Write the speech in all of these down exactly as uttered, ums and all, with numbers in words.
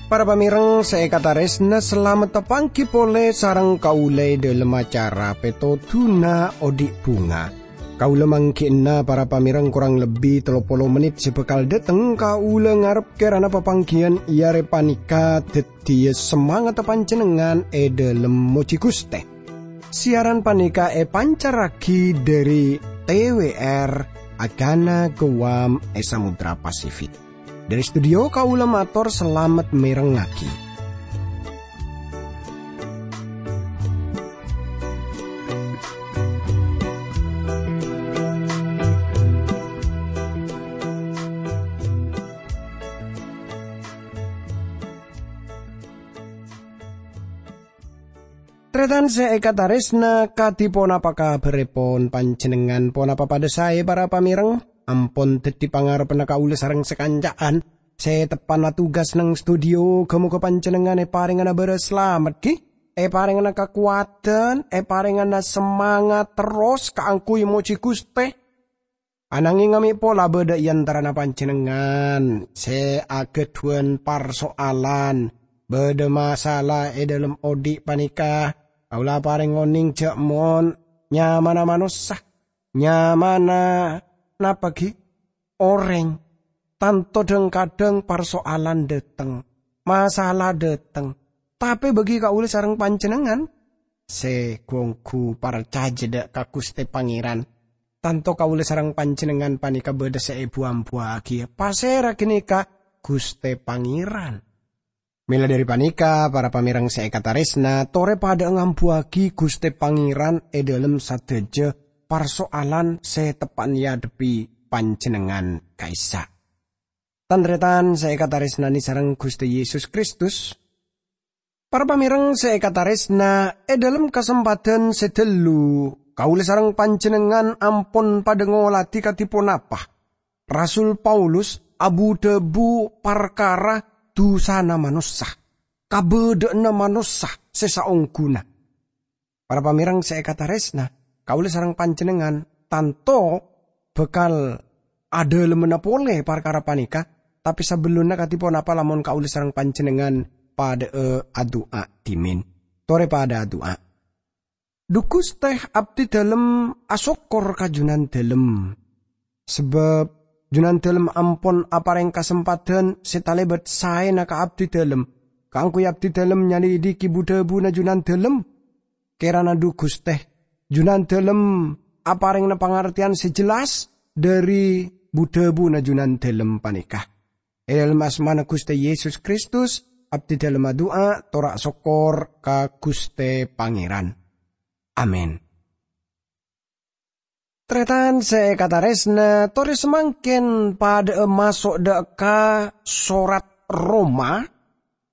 Para pamèreng sè èkatarèsna, salamet tapangghi polè sareng kaulâ è dhâlem acara Pètodhuna Odi' Bhunga. Kaulâ mangghi'na para pamèreng korang lebbi tello polo mennit sè bhâkal dâteng. Kaulâ ngarep kèrana papangghiyân è arè panèka dhâddhiyâ samangatta panjhennengngan è dhâlem mojhi Ghustè. Siaran panèka èpancarraghi dhâri T W R Agana Guam è Samudra Pasifik. Dhâri studio kaulâ mator salamet mèrengngaghi. Tarètan sè èkatarèsna, kadhi ponapa kabhârrèpon panjhennengngan? Ponapa padhâ saè, para pamèreng? Ampon dhâddhi pangarebbhânna kaulâ sareng sakanca'an sè teppa'na tugas neng studio. Ghâ-moghâ panjhennengngan èparèngana bârâs salamet, ghi? Èparèngana kakowadhân, èparèngana samangat terros kaangghuy mojhi Ghustè. Anangèng amè' pola bâdâ è antarana panjhennengngan sè aghâdhuwân parso'alan, bâdâ masalah è dhâlem odi' panèka. Kaulâ aparèng onèng jhâ' mon nyamana manossa, nyamana napa ghi? Orèng. Tanto dhâng-kadhâng parso'alan dâteng, masalah dâteng. Tapè bagi kaulâ sareng panjhennengngan sè ghu-ongghu parcajâ dâ' ka Ghustè Pangèran, tanto kaulâ sareng panjhennengngan panèka bâdâ sè èbu-ambuwâghi. Pasèra ghânèka Ghustè Pangèran? Mèla dhâri panèka, para pamèreng sè èkatarèsna, torè padhâ'â ngambuwâghi Ghustè Pangèran è dhâlem sadhâjâ parso'alan sè teppa'na èadhebbhi panjhennengngan ka'issa'. Tan-tarètan sè èkatarèsnanè sareng Ghustè Yesus Kristus, para pamèreng sè èkatarèsna, è dhâlem kasempadhân sè ghâllu, kaulâ sareng panjhennengngan ampon padhâ ngolatè kadhi ponapa Rasul Paulus abu-dhâbu parkara dhusana manossa, kabâdâ'ânna manossa sè saongghuna. Para pamèreng sè èkatarèsna, kaulâ sareng panjhennengngan tanto bhâkal adhâlemmana polè parkara panèka, tapè sabellunna kadhi ponapa lamon kaulâ sareng panjhennengngan padhâ'â adu'a dhimèn. Torè padhâ adu'a. Dhu Ghustè, abdhi dhâlem asokkor ka Jhunandhâlem. Sabâb Jhunandhâlem ampon aparèng kasempadhân sè talèbât saèna ka abdhi dhâlem, kaangghuy abdhi dhâlem nyalidhighi bu-dhâbuna Jhunandhâlem. Kèrana dhu Ghustè, Jhunandhâlem aparèngana pangartèyan sè jelas dhâri bu-dhâbuna Jhunandhâlem panèka. È dhâlem asmana Ghustè Yesus Kristus, abdhi dhâlem adu'a, tor asokkor ka Ghustè Pangèran. Amin. Tarètan sè èkatarèsna, torè samangkèn padhâ'â maso' dâ' ka sorat Roma,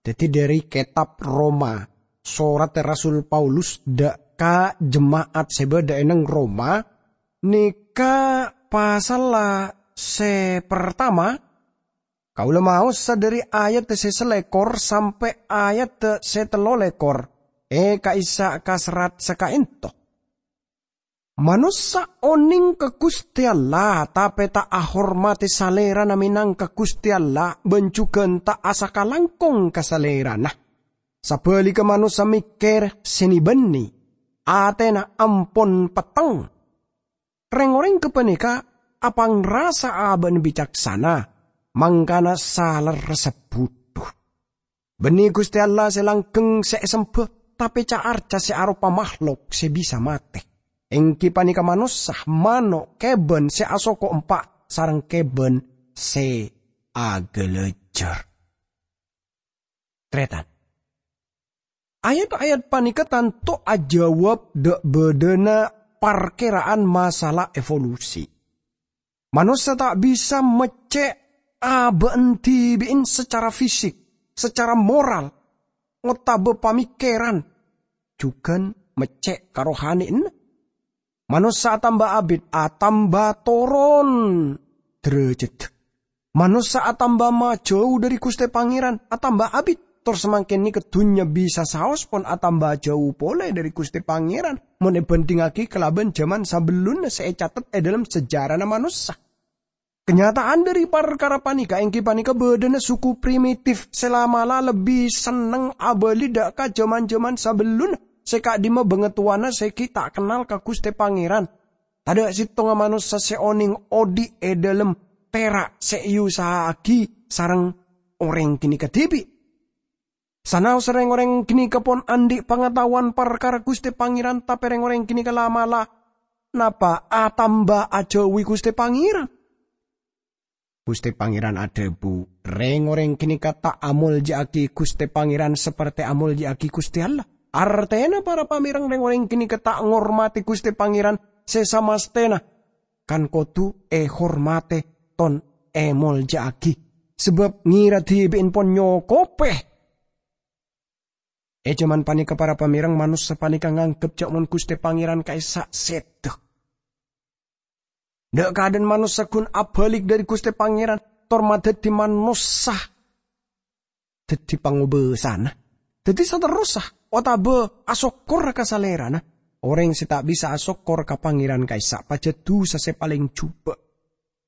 dhâddhi dhâri kètab Roma, sorat Rasul Paulus dâ' ka jema'at sè bâdâ è neng Roma, nèka pasalla sè partama, kaulâ maosa dhâri ayat sè salèkor sampè' ayat sè tello lèkor, è ka'issa' ka serrat sakaènto. Manossa onèng ka Ghustè Allah, tapè ta' ahormadhi Salèrana mènangka Ghustè Allah, bân jhughân ta' asakalangkong ka Salèrana. Sabhâligghâ, manossa mèkkèr sè nè-bânnè, atèna ampon petteng. Rèng-orèng ghâpanèka apangrasa abâ'na bicaksana, mangkana salerressa budhu. Bânnè Ghustè Allah sè langghâng sè èsembhâ, tapè ca'-arca' sè aropa mahlok sè bisa matè, èngghi panèka manossa, mano', kèbân sè asoko empa', sareng kèbân sè aghâlâjâr. Tarètan. Ayat-ayat panèka tanto ajâwâb dâ' bâdâna parkèra'an masalah evolusi. Manossa ta' bisa meccè' abâ'na dhibi'en sacara fisik, sacara moral, otabâ pamèkkèran, jhughân meccè' karohanèyanna. Manossa atamba abit, atamba toron dârâjhâddhâ. Manossa atamba majâu dhâri Ghustè Pangèran, atamba abit. Tor samangkèn nèka dhunnya bisa saos pon atamba jhâu polè dhâri Ghustè Pangèran, mon èbhândhingngaghi kalabân jhâman sabellunna sè ècatet è dhâlem sejarana manossa. Kanyata'an dhâri parkara panèka èngghi panèka bâdâna suku primitif sè la'-mala' lebbi senneng abâli dhâ' ka jhâman-jhâman sabellunna sè ka'dimma bângatowana sè ghi' ta' kennal ka Ghustè Pangèran. Tadâ' sèttonga manossa sè onèng odi' è dhâlem pèra' sè èusaha'aghi sareng orèng ghânèka dhibi'. Sanaossa rèng-orèng ghânèka pon andi' pangataowan parkara Ghustè Pangèran, tapè rèng-orèng ghânèka la'-mala' napa atamba ajhâuwi Ghustè Pangèran. Ghustè Pangèran adhâbu, "Rèng-orèng ghânèka ta' amolja'aghi Ghustè Pangèran sapertè amolja'aghi Ghustè Allah." Artèna, para pamèreng, rèng-orèng ghânèka ta' ngormadhi Ghustè Pangèran sè samastèna kan kodhu èhormadhi ton èmolja'aghi, sabâb ngèra dhibi'en pon nyokopè. È jhâman panèka, para pamèreng, manossa panèka nganggep jhâ' mon Ghustè Pangèran ka'issa' sèdhâ. Dhâ' kadhân manossa ghun abâlik dhâri Ghustè Pangèran, tor madhâddhi manossa dhâddhi pangobâsana. Dhâddhi saterrossa otabâ asokkor ka Salèrana. Orèng sè ta' bisa asokkor ka Pangèran ka'issa' pajhât dhusa sè palèng jhubâ'.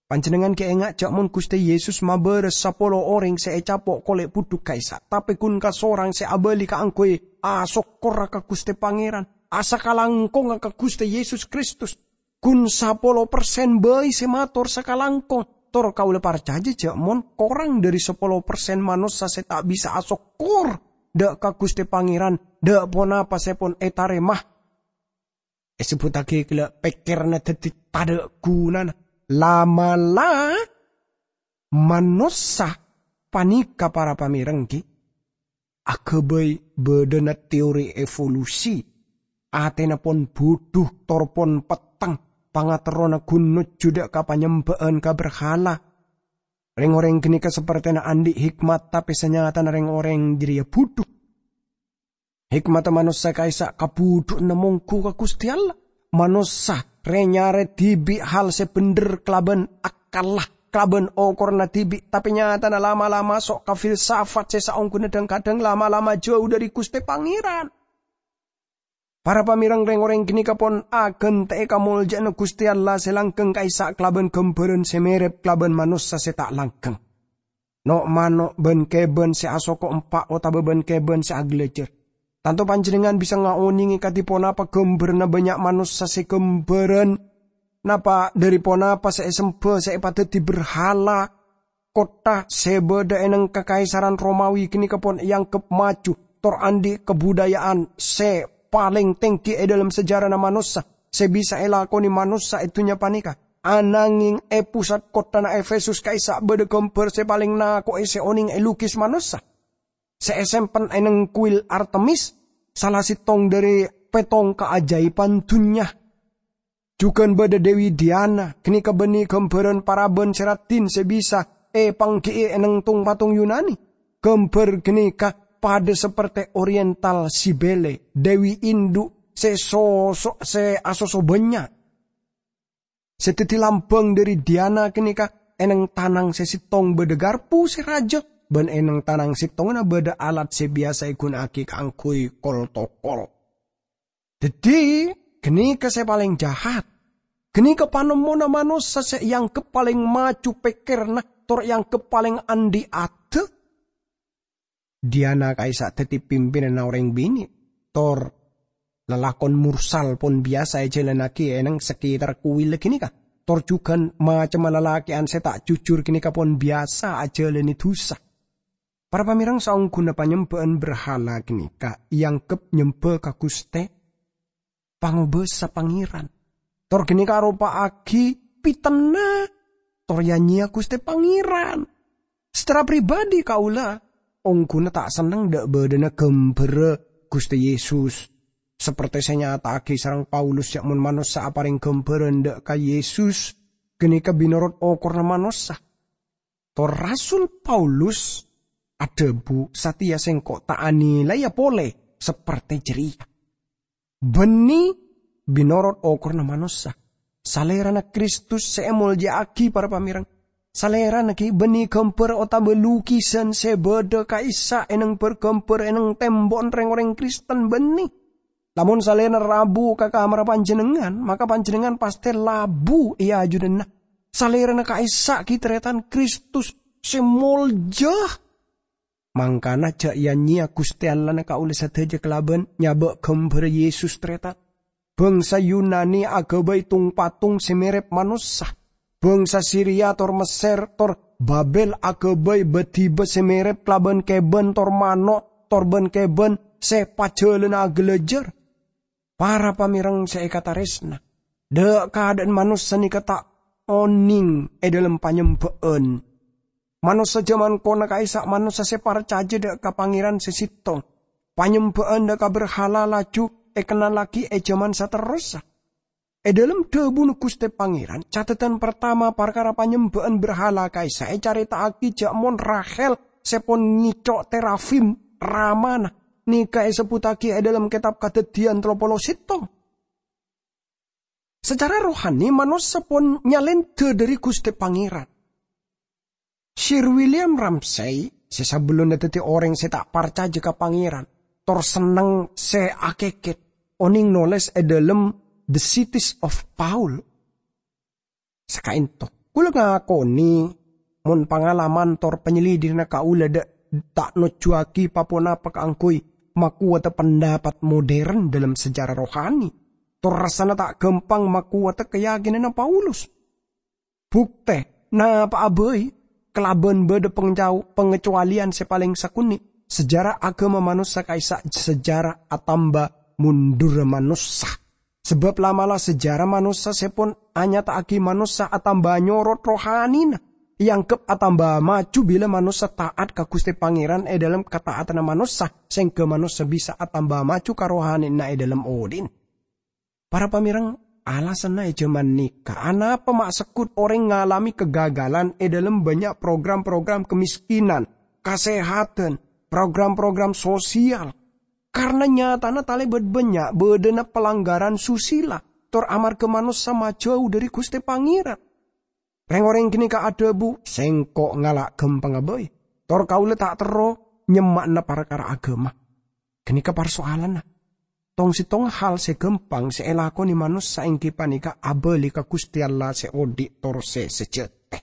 Panjhennengngan ghi' enga' jhâ' mon Ghustè Yesus mabârâs sapolo orèng sè ècapo' kolè' budhuk ka'issa', tapè ghun kasorang sè abâli kaangghuy asokkor ka Ghustè Pangèran, asakalangkongnga ka Ghustè Yesus Kristus. Ghun sapolo persen bhâi sè mator sakalangkong, tor kaulâ parcajâ jhâ' mon korang dhâri sapolo persen manossa sè ta' bisa asokkor dhâ' ka Ghustè Pangèran dhâ' ponapa sè pon ètarèma. Èsebbhuttaghi ghellâ' pèkkèranna dhâddhi tadâ' ghunana. La'-mala' manossa panèka, para pamèreng, ghi aghâbây bâdâna teori evolusi. Atèna pon budhu, tor pon petteng, pangaterrona ghun nojjhu dhâ' ka panyembhâ'ân ka berhala. Rèng-orèng ghânèka sapertèna andi' hikmat, tapè sanyatana rèng-orèng jârèya budhu. Hikmadda manossa ka'issa' kabudhu'ânna mongghu ka Ghustè Allah. Manossa rè-nyarè dhibi' hal sè bhendher kalabân akkalla, kalabân okoranna dhibi', tapè nyatana la'-mala' maso' ka filsafat sè saongghuna dhâng-kadhâng la'-mala' majhâu dhâri Ghustè Pangèran. Para pamèreng, rèng-orèng ghânèka pon aghântè'è kamoljâ'ânna Ghustè Allah sè langghâng ka'issa' kalabân ghâmbhârân sè mèrèp kalabân manossa sè ta' langghâng. No'-mano' bân kèbân sè asoko empa' otabâ bân kèbân sè aghâlâjâr. Tanto panjhennengngan bisa ngaonèngè kadhi ponapa ghâmbhârânna bânnya' manossa sè ghâmbhârân napa dhâri ponapa sè èsemba sè èpadhâddhi berhala. Kottha sè bâdâ è neng Kakaisaran Romawi ghânèka pon èangghep maju, tor andi' kabudaya'an sè palèng tèngghi è dhâlem sejarana manossa sè bisa èlakonè manossa è dhunnya panèka. Ananghèng è pusat kotthana Efesus ka'issa' bâdâ ghâmbhâr sè palèng nako'è sè onèng èlukis manossa, sè èsempen è neng kuil Artemis, sala sèttong dhâri pèttong kaajâibhân dhunnya. Jhughân bâdâ Dewi Diana, ghânèka bânnè ghâmbhârân parabân sè raddhin sè bisa èpangghi'i è neng tong-patong Yunani. Ghâmbhâr ghânèka padâ sapertè Oriental Cybele, dewi indhu' sè soso-, sè asoso bânnya'. Sè dhâddhi lambâng dhâri Diana ghânèka è neng tanang sè sèttong bâdâ garpu sè rajâ, bân è neng tanang sèttongnga bâdâ alat sè biyasa èghuna'aghi kaangghuy kol-tokol. Dhâddhi, ghânèka sè palèng jahat. Ghânèka panemmona manossa sè èangghep palèng maju pèkkèranna, tor èangghep palèng andi' adâ'. Diana ka'issa' dhâddhi pimpinanna orèng binè', tor lalakon mursal pon biyasa èjhâlânnaghi è neng sakètarra kuwil ghânèka, tor jhughân macemma lalakè'an sè ta' jujur ghânèka pon biyasa ajhâlânè dhusa. Para pamèreng, saongghuna panyembhâ'ân berhala ghânèka èangghep nyembhâ ka Ghustè pangobâsa Pangèran. Tor ghânèka aropa'aghi pètenna, tor ya-nyèya Ghustè Pangèran. Secara pribadi kaulâ, ongghuna ta' senneng dhâ' bâdâna ghâmbhârra Ghustè Yesus. Sapertè sè ènyata'aghi sareng Paulus, ya' mon manossa aparèng ghâmbhârân dhâ' ka Yesus, ghânèka binorodh okoranna manossa. Tor Rasul Paulus adhâbu, "Satèya sèngko' ta' anilaiya polè sapertè jârèya." Bânnè binorodh okoranna manossa. Salèrana Kristus sè èmoljâ'aghi, para pamèreng. Salèrana ghi' bânnè ghâmbhâr otabâ lukisan sè bâdâ ka'issa' è nèng bâr-ghâmbhâr è nèng tèmbo'na rèng-orèng Kristen bânnè. Lamon salèrana rabu ka kamarra panjhennengngan, maka panjhennengngan pastè labu è ajunanna. Salèrana ka'issa' ghi' tarètan Kristus sè molja. Mangkana jhâ' ya-nyèya Ghustè Allahna kaulâ sadhâjâ kalabân nyabâ' ghâmbhârra Yesus, tarètan. Bhângsa Yunani aghâbây tung-patung sè mèrèp manossa. Bhângsa Siria tor Messèr tor Babèl aghâbây bâdhibâ sè mèrèp kalabân kèbân tor mano' tor bân-kèbân sè pajhâlâna aghâlâjâr. Para pamèreng sè èkatarèsna, dhâ'-kadhâ'ân manossa nèka ta' onèng è dhâlem panyembhâ'ân. Manossa jhâman kona ka'issa' manossa sè parcajâ dhâ' ka Pangèran sè sèttong. Panyembhâ'ân dhâ' ka berhala laju èkennallaghi è jhâman saterrossa. È dhâlem dhâbuna Ghustè Pangèran, catetan partama parkara panyembhâ'ân berhala ka'issa' ècarèta'aghi jhâ' mon Rahel sè pon ngèco' terafim ramana, nèka èsebbhuttaghi è dhâlem kètab Kadhâddhiyân tello polo sèttong. Sacara rohani, manossa pon nyalèndhâ dhâri Ghustè Pangèran. Sir William Ramsay, sè sabellunna dhâddhi orèng sè ta' parcajâ ka Pangèran, tor senneng sè akèkèt, onèng nolès è dhâlem The Cities of Paul. Sakaènto, kaulâ ngakonè mon pangalaman tor panyelidikna kaulâ dhâ-, ta' nojjhuwaghi pa-ponapa kaangghuy makowata pendapat modern dhâlem sejarah rohani, tor rassana ta' ghâmpang makowata kayakinanna Paulus. Buktè, napa'a bhâi, kalabân bâdâ pangcao-, pangacowalèyan sè palèng sakonè', sejarah aghâma manossa ka'issa' sejarah atamba mondhurra manossa. Sabâb la'-mala' sejarah manossa sè pon anyata'aghi manossa atamba nyorot rohanina, èangghep atamba maju bilâ manossa ta'at ka Ghustè Pangèran è dhâlem kata'atanna manossa, sèngghâ manossa bisa atamba maju ka rohanina è dhâlem odhi'na. Para pamèreng, alasanna è jhâman nèka, anapa ma' segghut orèng ngalamè kagagalan è dhâlem bânnya' program-program kamiskinan, kasèhadhân, program-program sosial? Karna nyatana talèbât bânnya' bâdâna palanggaran susila, tor amarghâ manossa majâu dhâri Ghustè Pangèran. Rèng-orèng ghânèka adhâbu, "Sèngko' ngala' ghâmpangnga bhâi, tor kaulâ ta' terro nyemma'ana parkara aghâma." Ghânèka parsoalanna. Tong-sèttongnga hal sè ghâmpang sè èlakonè manossa èngghi panèka abâli ka Ghustè Allah sè odhi' tor sè sajhâtè.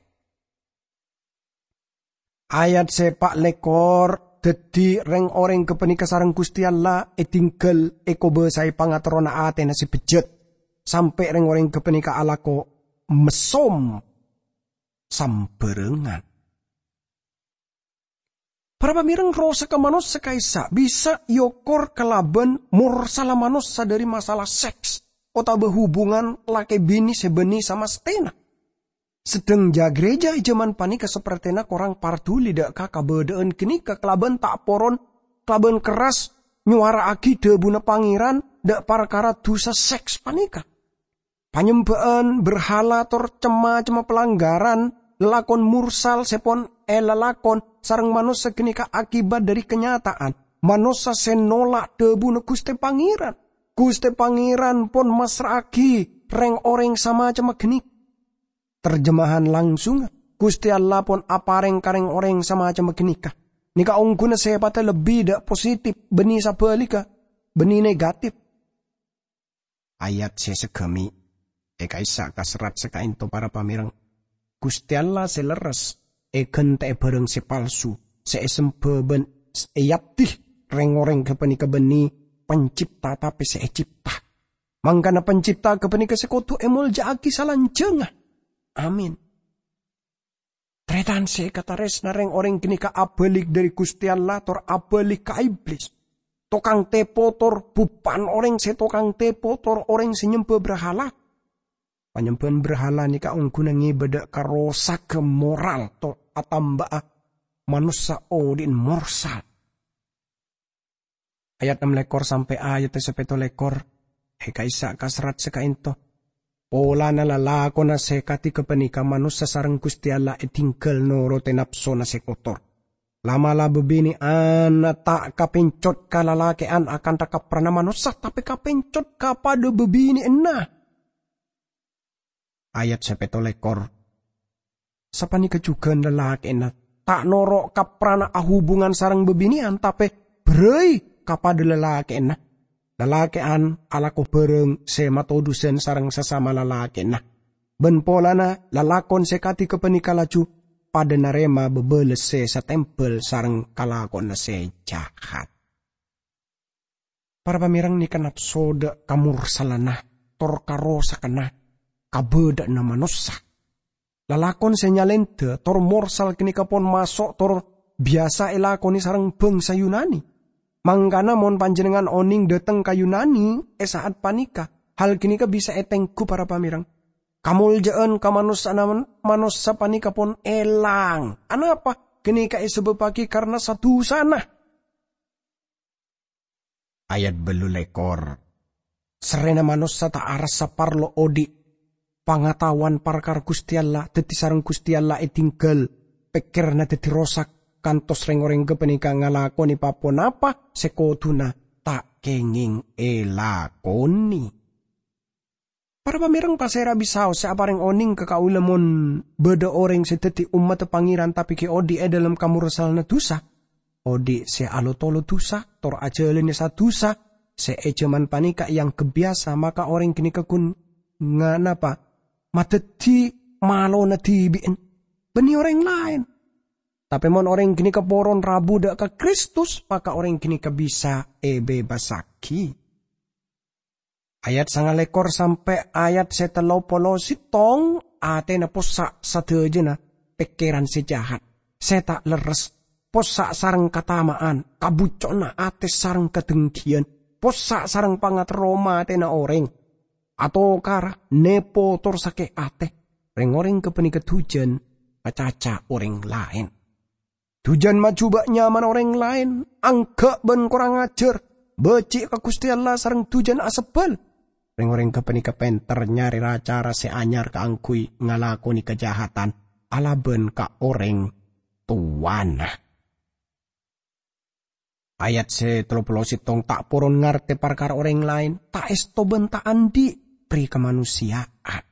Ayat sè pa' lèkor, dhâddhi rèng-orèng ghâpanèka sareng Ghustè Allah èdingghâl èkobâsaè pangaterrona atèna sè bejjhât, sampè' rèng-orèng ghâpanèka alako messom sambhârângan. Para pamèreng, rosaghâ manossa ka'issa' bisa èokor kalabân morsalla manossa dhâri masalah seks otabâ hubungan lakè binè sè bânnè samastèna. Sedheng ja-, gereja è jhâman panèka sapertèna korang parduli dhâ' ka kabâdâ'ân ghânèka kalabân ta' poron, kalabân kerras nyowara'aghi dhâbuna Pangèran dhâ' parkara dhusa seks panèka. Panyembhâ'ân berhala tor cem-macemma palanggaran lalakon morsal sè pon èlalakon sareng manossa ghânèka akibat dhâri kanyata'an manossa sè nola' dhâbuna Ghustè Pangèran. Ghustè Pangèran pon massra'aghi rèng-orèng samacemma ghânèka. Terjemahan langsungnga, Ghustè Allah pon aparèng ka rèng-orèng samacemma ghânèka. Nèka ongghuna sèpatta lebbi dhâ' positif, bânnè sabhâligghâ, bânnè negatif. Ayat sè saghâmè', è ka'issa' ka serrat sè ka'ènto para pamèreng. Ghustè Allah sè lerres èghântè'è bhârâng sè palsu, sè èsembhâ bân s-, èyabdi rèng-orèng ghâpanèka bânnè pencipta tapè sè ècipta. Mangkana pencipta ghâpanèka sè kodhu èmolja'aghi salanjhângnga. Amin. Tarètan sè èkatarèsna, rèng-orèng ghânèka abâlik dhâri Ghustè Allah tor abâlik ka Iblis. Tokang tèpo tor bhubhân orèng sè tokang tèpo tor orèng sè nyembhâ brahala. Panyembhâ'ân brahala nèka ongghuna ngèbâ dhâ' ka rosaghâ moral tor atamba'a manossa odhi'na morsal. Ayat ennem lèkor sampè' ayat sè pètto lèkor, è ka'issa' ka serrat sè ka'ènto. Polana lalakonna sè kadhi ghâpanèka manossa sareng Ghustè Allah èdingghâl norotè napsona sè kotor. La'-mala' bâbinè'anna ta' kapèncot ka lalakè'an akantha kaprana manossa, tapè kapèncot ka padâ bâbinè'anna. Ayat sè pètto lèkor. sapanèka jhughân lalakè'na, ta' noro' kaprana ahubungan sareng bâbinè'an, tapè berrâi ka padâ lalakè'na. Lalakè'an alako bhârâng sè matodhusan sareng sasama lalakè'na. Bân polana lalakon sè kadi ghâpanèka laju padâ narèma bâbâles sè satèmbhâl sareng kalakowanna sè jahat. Para pamèrèng, nèka napso dâ' kamorsalanna, tor karosakkanna kabâdâ'ânna manossa. Lalakon sè nyalèndhâ tor morsal ghânèka pon maso' tor biyasa èlakonè sareng bhângsa Yunani. Mangkana mon panjhennengngan onèng dâteng ka Yunani è sa'at panèka, hal ghânèka bisa ètengghu, para pamèrèng. Kamolja'an ka manossana manossa panèka pon èlang. Anapa? Ghânèka èsabâbbhâghi karna sa-dhusana. Ayat bâllu lèkor. Sarrèna manossa ta' arassa parlo odi' pangataowan parkara Ghustè Allah, dhâddhi sareng Ghustè Allah èdinggal, pèkkèranna dhâddhi rosak, kantos rèng-orèng ghâpanèka ngalakonè pa-ponapa sè kodhuna ta' kèngèng èlakonè. Para pamèrèng, pasèra bisaos sè aparèng onèng ka kaulâ mon bâdâ orèng sè dhâddhi ommaddhâ Pangèran tapè ghi' odi' è dâlem kamorsalanna dhusa? Odi' sè alotolo dhusa, tor ajhâlânè sa-dhusa sè è jhâman panèka èangghep biyasa, maka orèng ghânèka ghun nga-, napa? Madhâddhi malona dhibi'en, bânnè orèng laèn. Tapè mon orèng ghânèka poron rabu dâ' ka Kristus, maka orèng ghânèka bisa èbebasaghi. Ayat sangalèkor sampè' ayat sè tello polo sèttong, atèna possa' sadhâjâna pèkkèran sè jahat, sè ta' lerres, possa' sareng katama'an, kabucco'na atè sareng kadengghiyân, possa' sareng pangaterro matèna orèng, atokara, nèpo, tor sakè' atè. Rèng-orèng ghâpanèka dhujân acaca orèng laèn. Dhujân majubâ' nyamana orèng laèn, angghâ' bân korang ajhâr, bâji' ka Ghustè Allah sareng dhujân asebbhâl. Rèng-orèng ghâpanèka pènter nyarè ra-cara sè anyar kaangghuy ngalakonè kajahatan alabân ka orèng towana. Ayat sè tello polo sèttong, ta' poron ngartè parkara orèng laèn, ta' èsto bân ta' andi' pri ka manossèya'an.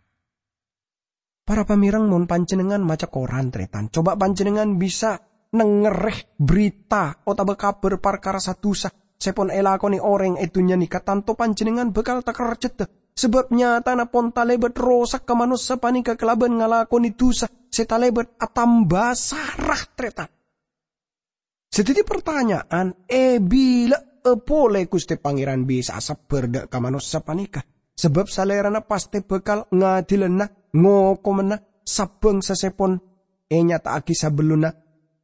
Para pamèrèng, mon panjhennengngan maca koran, tarètan, coba panjhennengngan bisa nengngèrè berita otabâ kabhâr parkara sa-dhusa sè pon èlakonè orèng è dhunnya nèka, tanto panjhennengngan bhâkal takerjhedhâ, sabâb nyatana pon talèbât rosak ka manossa panèka kalabân ngalakonè dhusa sè talèbât atamba sara, tarètan. Sè dhâddhi partanya'an, è bilâ'â polè Ghustè Pangèran bisa'a sabbhâr dâ' ka manossa panèka? Sabâb Salèrana pastè bhâkal ngadilana, ngokomanna sa-bhângsa sè pon ènyata'aghi sabellunna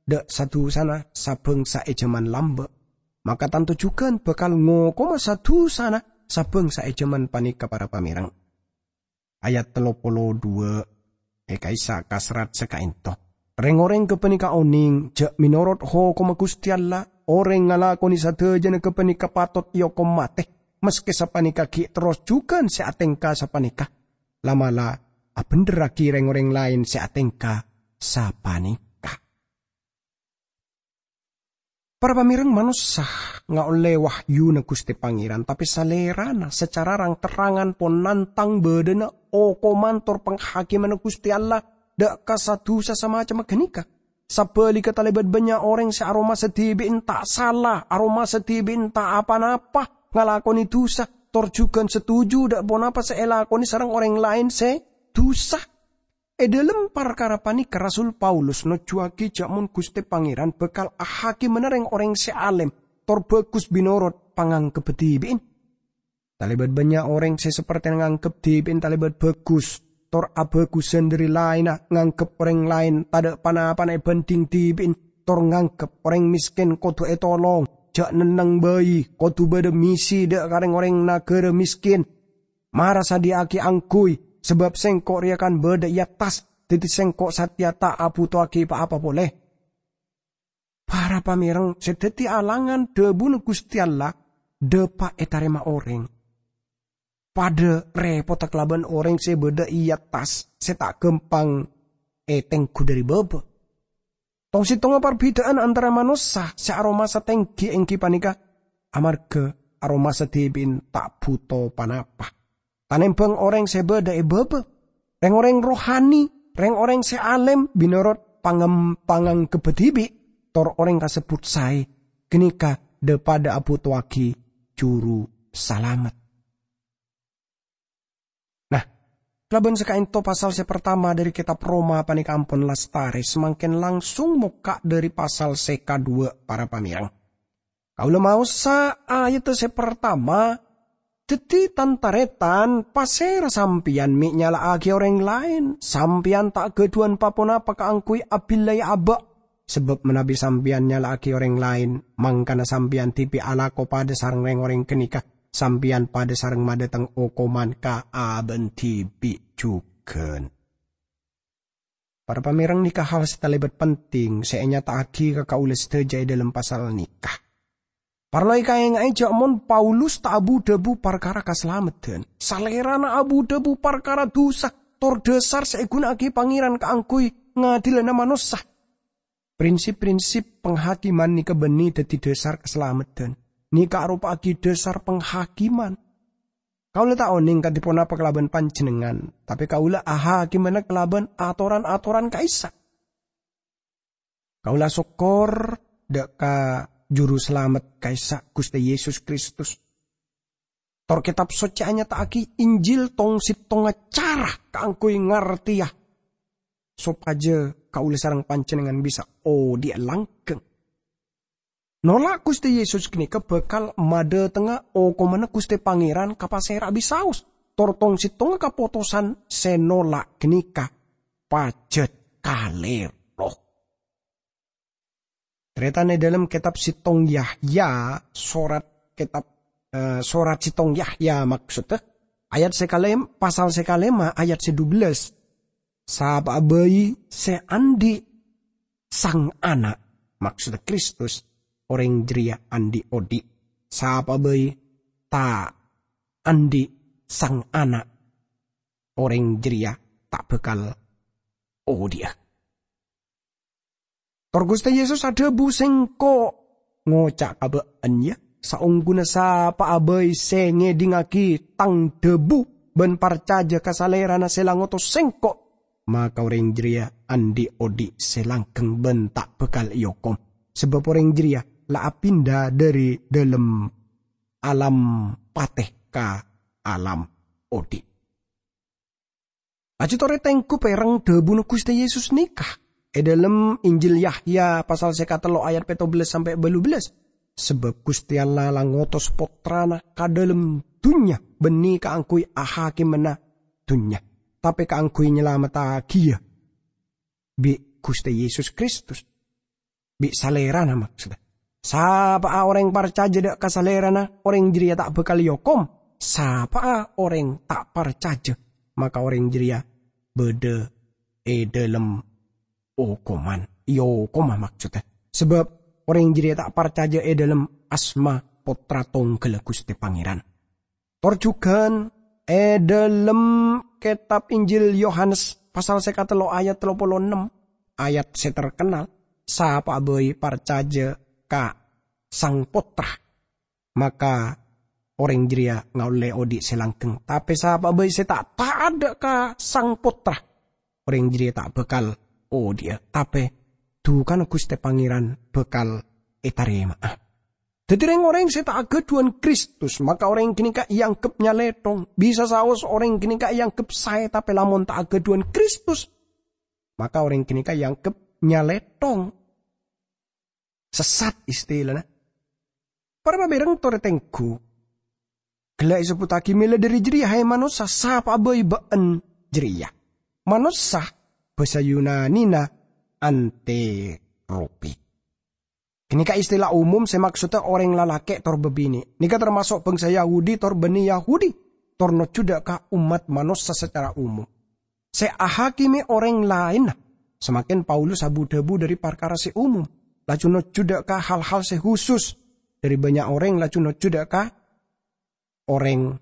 dâ' sa-dhusana sa-bhângsa è jhâman lambâ'. Maka tanto jhughân bhâkal ngokoma sa-dhusana sa-bhângsa è jhâman panèka, para pamèrèng. Ayat tello polo dhuwâ' è ka'issa' ka serrat sè ka'ento. Rèng-orèng ghâpanèka onèng jhâ' mènorot hokomma Ghustè Allah, orèng ngalakonè sadhâjâna ghâpanèka patot èokom matè, maskè sapanèka ghi' terros jhughân sè atèngka sapanèka, la'-mala' abhendherraghi rèng-orèng laèn sè atèngka sapanèka. Para pamèrèng, manossa ngaollè wahyuna Ghustè Pangèran, tapè Salèrana sacara rang-terrangan pon nantang bâdâna okoman tor panghakèmanna Ghustè Allah dâ' ka sa-dhusa samacemma ghânèka. Sabhâligghâ, talèbât bânnya' orèng sè aromasa dhibi'en ta' sala, aromasa dhibi'en ta' pa-napa ngalakonè dhusa, tor jhughân satuju dâ' ponapa sè èlakonè sareng orèng laèn sè dhusa. È dâlem parkara panèka, Rasul Paulus nojjuwaghi jhâ' mon Ghustè Pangèran bhâkal ahakèmana rèng-orèng sè alèm tor bhâghus mènorot pangangkebbhâ dhibi'en. Talèbât bânnya' orèng sè sapèrtèna nganggep dhibi'en talèbât bhâghus, tor abhâghusân dhâri laènna, nganggep orèng laèn tadâ' pa-napana èbhândhing dhibi'en, tor nganggep orèng mèskèn kodhu ètolong, jhâ' nenneng bhâi, kodhu bâdâ misi dâ' ka rèng-orèng naghârâ mèskèn. Mara sadhiyâ'aghi angghuy, sabâb sèngko' rèya kan bâdâ è attas, dhâddhi sèngko' satèya ta' abhutowaghi pa-apa polè. Para pamèrèng, sè dhâddhi alangan dhâbuna Ghustè Allah dâpa' ètarèma orèng, padâ rèpotta kalabân orèng sè bâdâ è attas sè ta' ghâmpang ètengghu dhâri bâbâ. Tong-sèttongnga parbhidhâ'ân antara manossa sè aromasa tèngghi èngghi panèka amarghâ aromasa dhibi'en ta' bhuto pa-napa. Tanèmbhâng orèng sè bâdâ è bâbâ, rèng-orèng rohani Rèng-orèng sè alèm mènorot pangem-, pangangkebbhâ dhibi', tor orèng kasebbhut saè, ghânèka dhâ-padhâ abhutowaghi juru salamet. Nah, kalabân sakaènto pasal sè partama dhâri kètab Roma panèka ampon lastarè, samangkèn langsung mokka' dhâri pasal sè kaduwâ', para pamèrèng. Kaulâ maosa ayadda sè partama, dhâddhi, tan-tarètan, pasèra sampèyan mè' nyala'aghi orèng laèn? Sampèyan ta' ghâdhuwân pa-ponapa kaangghuy abillai abâ'. Sabâb manabi sampèyan nyala'aghi orèng laèn, mangkana sampèyan dhibi' alako padâ sareng rèng-orèng ghânèka, sampèyan padâ sareng madhâteng okoman ka abâ'na dhibi' jhughân. Para pamèrèng, nèka hal sè talèbât penting sè ènyata'aghi ka kaulâ sadhâjâ è dhâlem pasal nèka. Parlo èkaènga'è jâ' mon Paulus ta' abu-dhâbu parkara kasalameddhân. Salèrana abu-dhâbu parkara dhusa, tor dhâsar sè èghuna'aghi Pangèran kaangghuy ngadilana manossa. Prinsip-prinsip panghakiman nèka bânnè dhâddhi dhâsar kasalameddhân. Nèka aropa'aghi dhâsar panghakiman. Kaulâ ta' onèng kadhi ponapa kalabân panjhennengngan, tapè kaulâ ahakimana kalabân atoran-atoran ka'issa'. Kaulâ asokkor dhâ' ka Juru Salamet ka'issa', Ghustè Yesus Kristus. Tor Kètab Soccè anyata'aghi Injil tong-settongnga cara kaangghuy ngartèya, sopajâ kaulâ sareng panjhennengngan bisa odhi'a langghâng. Nola' Ghustè Yesus ghânèka bhâkal madhâtengnga okomanna Ghustè Pangèran ka pasèra bisaos, tor tong-settongnga kapotosan sè nola' ghânèka pajhât kalèro. Tarètan è dhâlem kètab settong Yahya, sorat kètab, eh, sorat settong Yahya, maksodda, ayat sè kalèm-, pasal sè kalèma', ayat sè dubellâs. Sapa'a bhâi sè andi' Sang Ana', maksodda Kristus, orèng jârèya andi' odhi'. Sapa'a bhâi ta' andi' Sang Ana', orèng jârèya ta' bhâkal odhi'a. Tor Ghustè Yesus adhâbu, "Sèngko' ngoca' ka bâ'na, yâ, saongghuna sapa'a bhâi sè ngèdingngaghi Tang dhâbu bân parcajâ ka Salèrana sè la ngotos Sèngko', maka orèng jârèya andi' odhi' sè langghâng bân ta' bhâkal èokom, sabâb orèng jârèya la apinda dhâri dhâlem alam patè ka alam odhi'." Laju torè tengghu pèrèng dhâbuna Ghustè Yesus nèka. È dhâlem Injil Yahya pasal sè katello ayat pèttobellâs sampè' bâllubellâs. Sabâb Ghustè Allah la ngotos Pottrana ka dhâlem dhunnya, bânnè kaangghuy ahakimana dhunnya, tapè kaangghuy nyalamettaghiyâ bi' Ghustè Yesus Kristus. Bi' Salèrana, maksodda. Sapa'a orèng parcajâ dhâ' ka Salèrana, orèng jârèya ta' bhâkal èokom. Sapa'a orèng ta' parcajâ, maka orèng jârèya bâdâ è dhâlem okoman. Èokoma, maksodda. Sabâb orèng jârèya ta' parcajâ è dhâlem asma Pottra Tongghâlla Ghustè Pangèran. Tor jhughân è dhâlem kètab Injil Yohanes pasal sè katello ayat tello polo ennem, ayat sè terkennal, "Sapa'a bhâi parcajâ ka Sang Pottra, maka orèng jârèya ngaollè odhi' sè langghâng. Tapè sapa'a bhâi sè ta' ta'at dhâ' ka Sang Pottra, orèng jârèya ta' bhâkal odhi'a, tapè dhukana Ghustè Pangèran bhâkal ètarèma'a." Dhâddhi, rèng-orèng sè ta' aghâdhuwân Kristus, maka orèng ghânèka èangghep nyalèthong. Bisa saos orèng ghânèka èangghep saè, tapè lamon ta' aghâdhuwân Kristus, maka orèng ghânèka èangghep nyalèthong. Sessat istilana. Para pamèrèng torè tengghu. Ghellâ' èsebbhuttaghi mèla dhâri jârèya, "Hè manossa, sapa'a bhâi bâ'na jârèya?" Manossa, bhâsa Yunanina anteropi. Ghânèka istilah umum sè maksodda orèng lalakè' tor bâbinè'. Nèka tamaso' bhângsa Yahudi tor bânnè Yahudi, tor nojjhu dhâ' ka ommat manossa sacara umum. Sè ahakimè orèng laènna. Samangkèn Paulus abu-dhâbu dhâri parkara sè umum, laju nojjhu dhâ' ka hal-hal sè husus. Dhâri bânnya' orèng laju nojjhu dhâ' ka orèng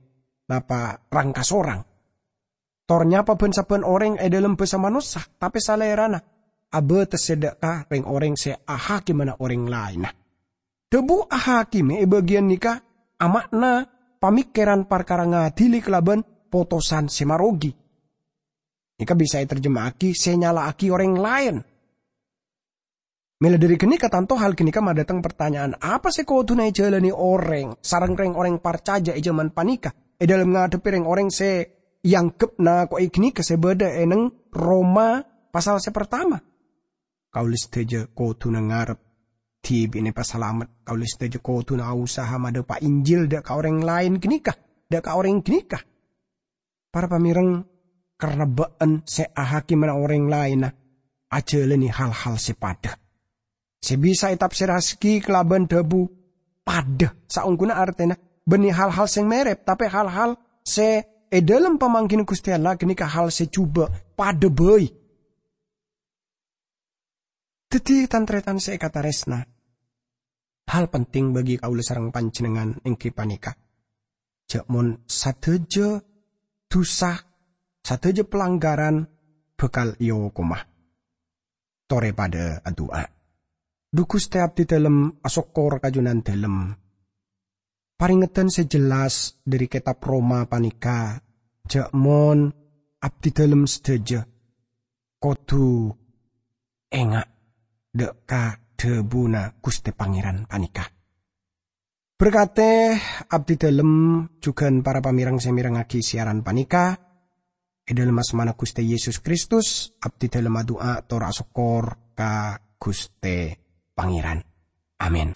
napa rang-kasorang. Tor nyapa bân-sabbhân orèng è dhâlem bhâsa manossa, tapè Salèrana abâtessè dhâ' ka rèng-orèng sè ahakimana orèng laènna. Dhâbu ahakimè è bâgiyân nèka ama'na pamèkkèran parkara ngadili kalabân potosan sè marogi. Nèka bisa ètarjema'aghi sè nyala'aghi orèng laèn. Mèla dhâri ghânèka, tanto hal ghânèka madâteng partanya'an, apa sè kodhuna èjhâlâni orèng sareng rèng-orèng parcajâ è jhâman panèka, è dhâlem ngadhebbhi rèng-orèng sè èangghep nako'è ghânèka sè bâdâ è neng Roma pasal sè partama? Kaulâ sadhâjâ kodhuna ngarep dhibi'na èpasalamet. Kaulâ sadhâjâ kodhuna usaha madhâpa' Injil dâ' ka orèng laèn ghânèka, dâ' ka orèng ghânèka. Para pamèreng, karna bâ'ân sè ahakimana orèng laènna ajhâlâni hal-hal sè padâ. Sè bisa ètafsirraghi kalabân dhâbu padâ, saongghuna artèna bânnè hal-hal sè mèrèp, tapè hal-hal sè è dhâlem pamangghina Ghustè Allah ghânèka hal sè jhubâ' padâ bhâi. Dhâddhi, tan-tarètan sè èkatarèsna, hal penting bagi kaulâ sareng panjhennengngan èngghi panèka, jhâ' mon sadhâjâ dhusa, sadhâjâ palanggaran bhâkal èokoma. Torè padâ adu'a. Dhu Ghustè, abdhi dhâlem asokkor ka Junandhâlem. Parèngedhân sè jelas dhâri kètab Roma panèka, jhâ' mon abdhi dhâlem sadhâjâ kodhu enga' dâ' ka dhâbuna Ghustè Pangèran panèka. Berkatè abdhi dhâlem jhughân para pamèreng sè mèrengngaghi siaran panèka. È dhâlem asmana Ghustè Yesus Kristus, abdhi dhâlem adu'a tor asokkor ka Ghustè Pangèran. Amin.